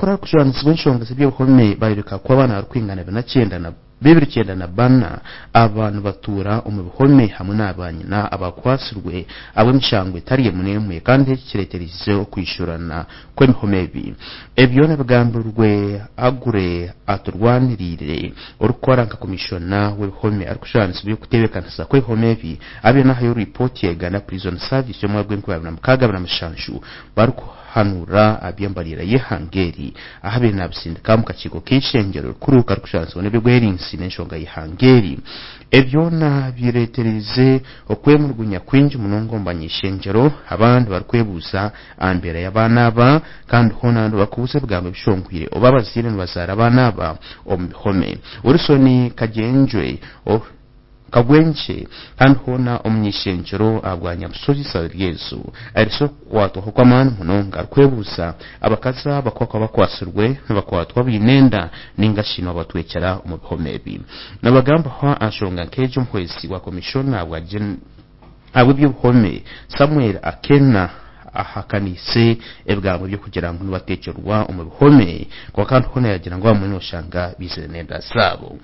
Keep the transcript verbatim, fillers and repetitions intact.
Abakuru abarikujwanisibwa enshonga z'eby'obuhome bareebeka kuba abaana barikwingana bina na bibiri kyenda na bana aba nibatuura omu bihome hamwe n'abanyina abakwasirwe ab'emishango etari emwe n'emwe, kandi eki kireeterize okwishurana kw'emihome ebi. Ebyo nabigambirwe Agure Aturwanirire, orikukora nka komishona w'ebihome arikujwanisibwa okuteebekanisa kw'ebihome ebi, abe nahayo ripooti ya Uganda Prison Service y'omwaka gw'enkumi abiri na mukaaga abiri na mushanju, barikuhanura aby'embarira y'eihanga eri ahabaire nabisindika omu kakiiko k'eishengyero rikuru karikujwanisibwa n'eby'obwerinzi n'enshonga y'eihanga eri. Ebyona bireeterize okwemurugunya kwingi munonga omu banyishengyero, abandi barikwebuuza aha mbeera y'abaana aba, kandi hoona abandi barikubuuza ebigambo ebishongwire oba abazaire nibazaara abaana aba omu bihome. Wilson Kagyenjwe Kagwenkye, kandi hoona omunyishengyero ahabwa Nyabusozi Saryezu, aherese okukwatwaho kw'amaani munonga arikwebuuza abakazi aba kuba bakwasirwe nibakwatwa baine enda ninga shi nibabatwekyera omu bihome ebi. Nabagambaho aha nshonga nk'egyo, omuhwezi wa komishona ahabw'eby'obuhome Samuel Akena ahakaniise ebigambo by'okugira ngu nibateekyerwa omu bihome, kwonka kandi hoona yagira ngu abamwe noshanga bizire n'enda zaabo.